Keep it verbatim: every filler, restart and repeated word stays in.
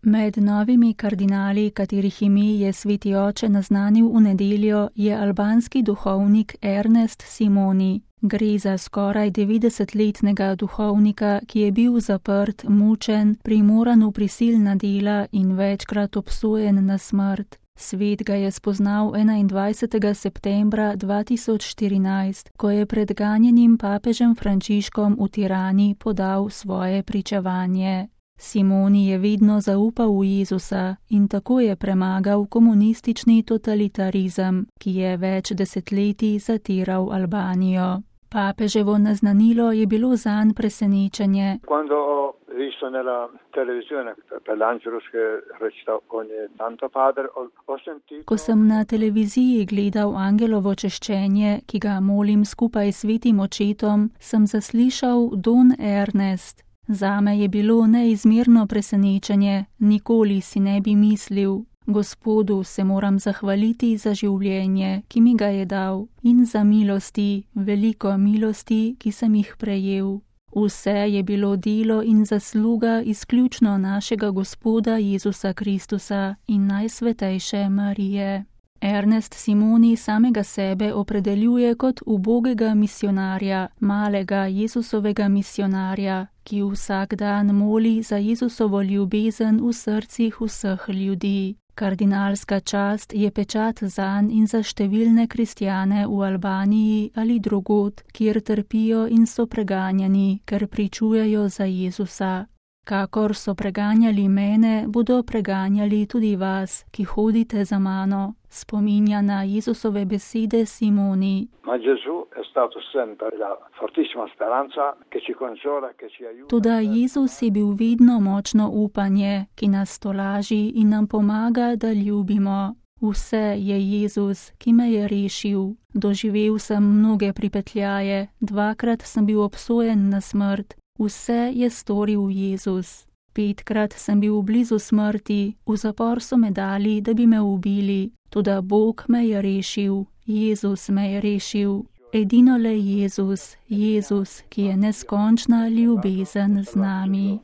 Med novimi kardinali, katerih ime je sveti oče naznanil v nedeljo, je albanski duhovnik Ernest Simoni. Gre za skoraj devetdesetletnega duhovnika, ki je bil zaprt, mučen, primoran v prisilna dela in večkrat obsojen na smrt. Svet ga je spoznal enaindvajsetega septembra dva tisoč štirinajst, ko je pred ganjenim papežem Frančiškom v Tirani podal svoje pričevanje. Simoni je vedno zaupal v Jezusa in tako je premagal komunistični totalitarizem, ki je več desetletij zatiral Albanijo. Papeževo naznanilo je bilo zanj presenečenje. Ko sem na televiziji gledal angelovo češčenje, ki ga molim skupaj s svetim očetom, sem zaslišal Don Ernest. Zame je bilo neizmerno presenečenje, nikoli si ne bi mislil. Gospodu se moram zahvaliti za življenje, ki mi ga je dal, in za milosti, veliko milosti, ki sem jih prejel. Vse je bilo delo in zasluga izključno našega Gospoda Jezusa Kristusa in Najsvetejše Marije. Ernest Simoni samega sebe opredeljuje kot ubogega misionarja, malega Jezusovega misionarja, ki vsak dan moli za Jezusovo ljubezen v srcih vseh ljudi. Kardinalska čast je pečat zanj in za številne kristjane v Albaniji ali drugod, kjer trpijo in so preganjani, ker pričujejo za Jezusa. Kakor so preganjali mene, bodo preganjali tudi vas, ki hodite za mano, spominja na Jezusove besede Simoni. Toda Jezus je bil vedno močno upanje, ki nas tolaži in nam pomaga, da ljubimo. Vse je Jezus, ki me je rešil. Doživel sem mnoge pripetljaje, dvakrat sem bil obsojen na smrt. Vse je storil Jezus. Petkrat sem bil blizu smrti, v zapor so me dali, da bi me ubili. Toda Bog me je rešil, Jezus me je rešil. Edino le Jezus, Jezus, ki je neskončna ljubezen z nami.